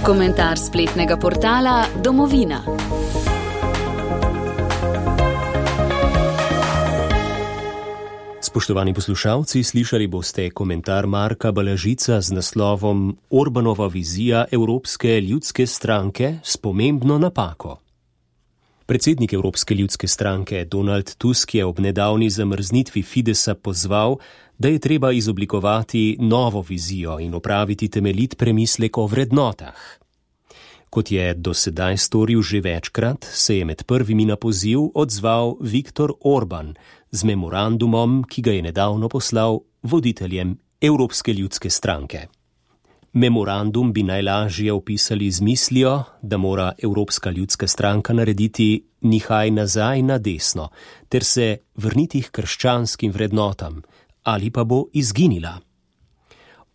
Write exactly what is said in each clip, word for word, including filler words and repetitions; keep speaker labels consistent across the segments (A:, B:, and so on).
A: Komentar spletnega portala Domovina.
B: Spoštovani poslušalci, slišali boste komentar Marka Balažica z naslovom Orbanova vizija Evropske ljudske stranke s pomembno napako. Predsednik Evropske ljudske stranke Donald Tusk je ob nedavni zamrznitvi Fidesa pozval, da je treba izoblikovati novo vizijo in opraviti temeljit premislek o vrednotah. Kot je do sedaj storil že večkrat, se je med prvimi na poziv odzval Viktor Orban z memorandumom, ki ga je nedavno poslal voditeljem Evropske ljudske stranke. Memorandum bi najlažje opisali z mislijo, da mora Evropska ljudska stranka narediti nihaj nazaj na desno, ter se vrniti k krščanskim vrednotam, ali pa bo izginila.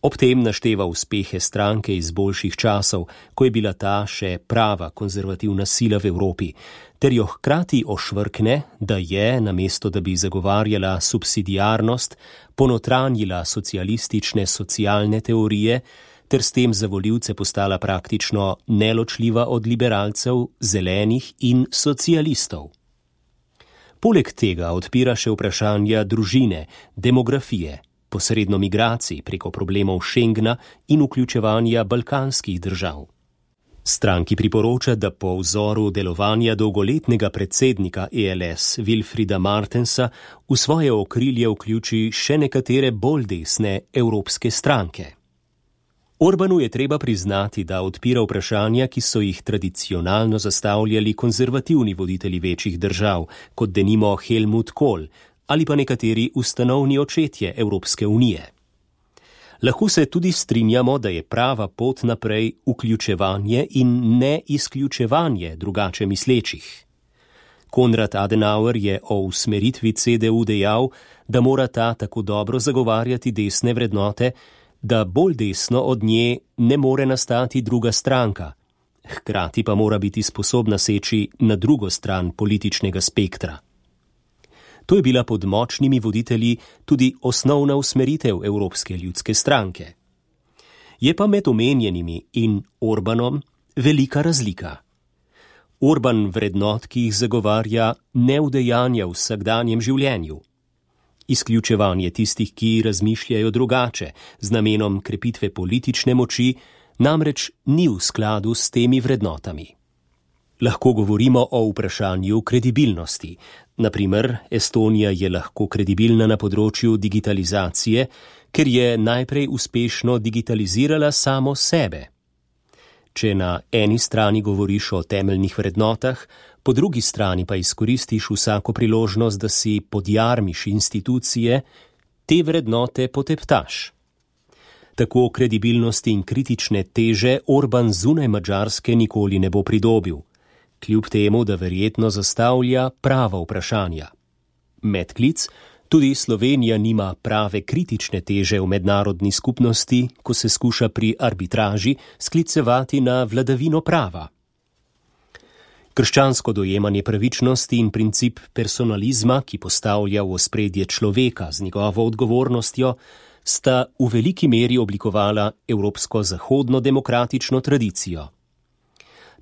B: Ob tem našteva uspehe stranke iz boljših časov, ko je bila ta še prava konzervativna sila v Evropi, ter jo hkrati ošvrkne, da je, namesto da bi zagovarjala subsidiarnost, ponotranjila socialistične socialne teorije, ter s tem za volivce postala praktično neločljiva od liberalcev, zelenih in socialistov. Poleg tega odpira še vprašanja družine, demografije, posredno migracij preko problemov Schengna in vključevanja balkanskih držav. Stranki priporoča, da po vzoru delovanja dolgoletnega predsednika E L S Wilfrieda Martensa v svoje okrilje vključi še nekatere bolj desne evropske stranke. Orbanu je treba priznati, da odpira vprašanja, ki so jih tradicionalno zastavljali konzervativni voditelji večjih držav, kot denimo Helmut Kohl ali pa nekateri ustanovni očetje Evropske unije. Lahko se tudi strinjamo, da je prava pot naprej vključevanje in ne izključevanje drugače mislečih. Konrad Adenauer je o usmeritvi C D U dejal, da mora ta tako dobro zagovarjati desne vrednote, da bolj desno od nje ne more nastati druga stranka, hkrati pa mora biti sposobna seči na drugo stran političnega spektra. To je bila pod močnimi voditelji tudi osnovna usmeritev Evropske ljudske stranke. Je pa med omenjenimi in Orbanom velika razlika. Orban vrednot, ki jih zagovarja, ne udejanja v vsakdanjem življenju. Izključevanje tistih, ki razmišljajo drugače, z namenom krepitve politične moči, namreč ni v skladu s temi vrednotami. Lahko govorimo o vprašanju kredibilnosti. Naprimer, Estonija je lahko kredibilna na področju digitalizacije, ker je najprej uspešno digitalizirala samo sebe. Če na eni strani govoriš o temeljnih vrednotah, po drugi strani pa izkoristiš vsako priložnost, da si podjarmiš institucije, te vrednote poteptaš. Tako kredibilnosti in kritične teže Orban zunaj Madžarske nikoli ne bo pridobil, kljub temu, da verjetno zastavlja prava vprašanja. Medklic, tudi Slovenija nima prave kritične teže v mednarodni skupnosti, ko se skuša pri arbitraži sklicevati na vladavino prava. Krščansko dojemanje pravičnosti in princip personalizma, ki postavlja v ospredje človeka z njegovo odgovornostjo, sta v veliki meri oblikovala evropsko zahodno demokratično tradicijo.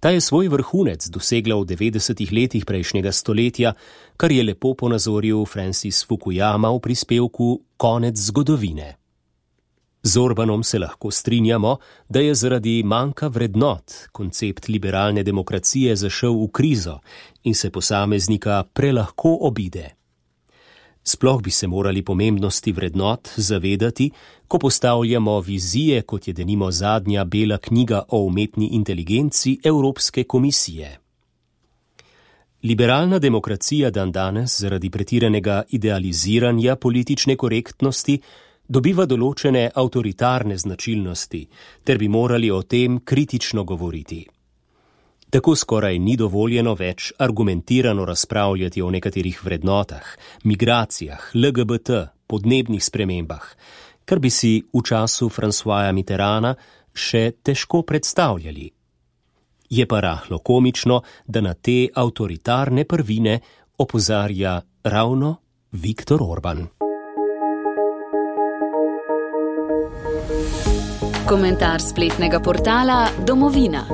B: Ta je svoj vrhunec dosegla v devetdesetih letih prejšnjega stoletja, kar je lepo ponazoril Francis Fukuyama v prispevku Konec zgodovine. Z Orbanom se lahko strinjamo, da je zaradi manjka vrednot koncept liberalne demokracije zašel v krizo in se posameznika prelahko obide. Sploh bi se morali pomembnosti vrednot zavedati, ko postavljamo vizije, kot je denimo zadnja bela knjiga o umetni inteligenci Evropske komisije. Liberalna demokracija dandanes zaradi pretiranega idealiziranja politične korektnosti dobiva določene avtoritarne značilnosti, ter bi morali o tem kritično govoriti. Tako skoraj ni dovoljeno več argumentirano razpravljati o nekaterih vrednotah, migracijah, L G B T, podnebnih spremembah, kar bi si v času Françoisa Mitterranda še težko predstavljali. Je pa rahlo komično, da na te avtoritarne prvine opozarja ravno Viktor Orban.
A: Komentar spletnega portala Domovina.